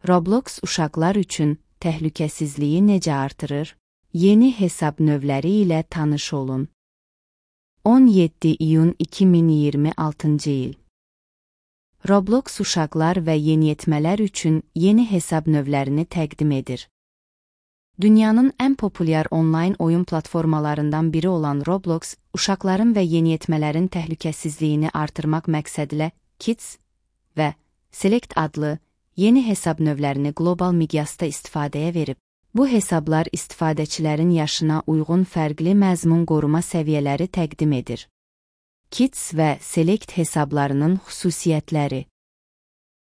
Roblox uşaqlar üçün təhlükəsizliyi necə artırır? Yeni hesab növləri ilə tanış olun. 17 iyun 2026 il. Roblox uşaqlar və yeniyetmələr üçün yeni hesab növlərini təqdim edir. Dünyanın ən populyar onlayn oyun platformalarından biri olan Roblox, uşaqların və yeniyetmələrin təhlükəsizliyini artırmaq məqsədilə Kids və Select adlı yeni hesab növlərini qlobal miqyasda istifadəyə verib. Bu hesablar istifadəçilərin yaşına uyğun fərqli məzmun qoruma səviyyələri təqdim edir. Kids və Select hesablarının xüsusiyyətləri.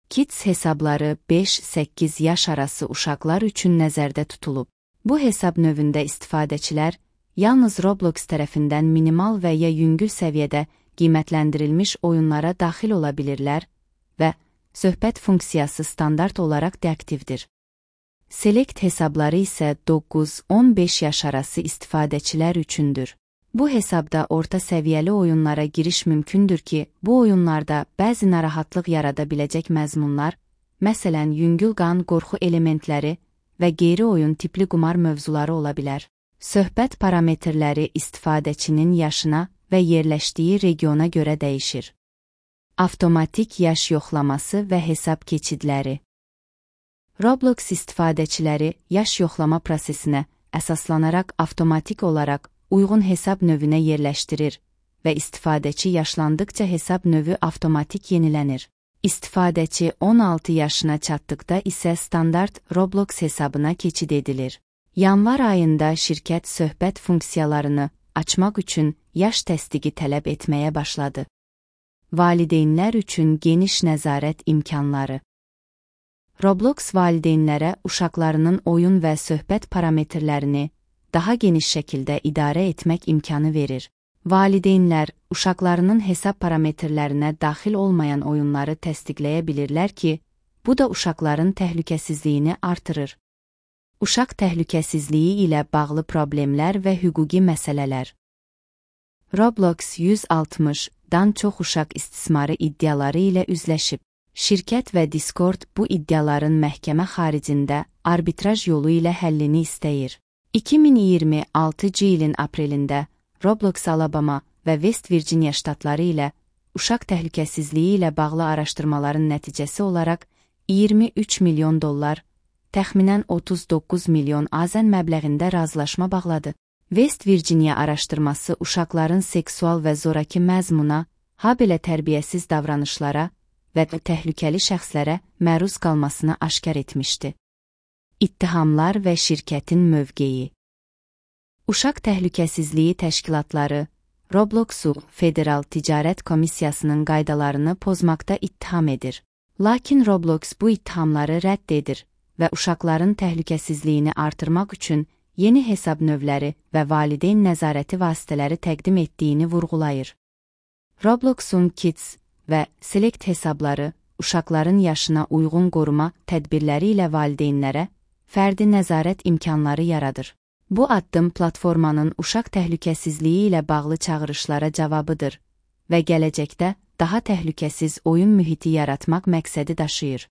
Kids hesabları 5-8 yaş arası uşaqlar üçün nəzərdə tutulub. Bu hesab növündə istifadəçilər yalnız Roblox tərəfindən minimal və ya yüngül səviyyədə qiymətləndirilmiş oyunlara daxil ola bilirlər və söhbət funksiyası standart olaraq deaktivdir. Select hesabları isə 9-15 yaş arası istifadəçilər üçündür. Bu hesabda orta səviyyəli oyunlara giriş mümkündür ki, bu oyunlarda bəzi narahatlıq yarada biləcək məzmunlar, məsələn yüngül qan, qorxu elementləri və qeyri-oyun tipli qumar mövzuları ola bilər. Söhbət parametrləri istifadəçinin yaşına və yerləşdiyi regiona görə dəyişir. Avtomatik yaş yoxlaması və hesab keçidləri. Roblox istifadəçiləri yaş yoxlama prosesinə əsaslanaraq avtomatik olaraq uyğun hesab növünə yerləşdirir və istifadəçi yaşlandıqca hesab növü avtomatik yenilənir. İstifadəçi 16 yaşına çatdıqda isə standart Roblox hesabına keçid edilir. Yanvar ayında şirkət söhbət funksiyalarını açmaq üçün yaş təsdiqi tələb etməyə başladı. Valideynlər üçün geniş nəzarət imkanları. Roblox valideynlərə uşaqlarının oyun və söhbət parametrlərini daha geniş şəkildə idarə etmək imkanı verir. Valideynlər uşaqlarının hesab parametrlərinə daxil olmayan oyunları təsdiqləyə bilirlər ki, bu da uşaqların təhlükəsizliyini artırır. Uşaq təhlükəsizliyi ilə bağlı problemlər və hüquqi məsələlər. Roblox 160-dan çox uşaq istismarı iddiaları ilə üzləşib. Şirkət və Discord bu iddiaların məhkəmə xaricində arbitraj yolu ilə həllini istəyir. 2026 ilin aprelində Roblox Alabama və West Virginia ştatları ilə uşaq təhlükəsizliyi ilə bağlı araşdırmaların nəticəsi olaraq $23 milyon, təxminən 39 milyon AZN məbləğində razılaşma bağladı. West Virginia araşdırması uşaqların seksual və zoraki məzmuna, habelə tərbiyəsiz davranışlara və təhlükəli şəxslərə məruz qalmasını aşkar etmişdi. İttihamlar və şirkətin mövqeyi. Uşaq Təhlükəsizliyi Təşkilatları Robloxu Federal Ticarət Komissiyasının qaydalarını pozmaqda ittiham edir. Lakin Roblox bu ittihamları rədd edir və uşaqların təhlükəsizliyini artırmaq üçün yeni hesab növləri və valideyn nəzarəti vasitələri təqdim etdiyini vurğulayır. Robloxun Kids və Select hesabları uşaqların yaşına uyğun qoruma tədbirləri ilə valideynlərə fərdi nəzarət imkanları yaradır. Bu addım platformanın uşaq təhlükəsizliyi ilə bağlı çağırışlara cavabıdır və gələcəkdə daha təhlükəsiz oyun mühiti yaratmaq məqsədi daşıyır.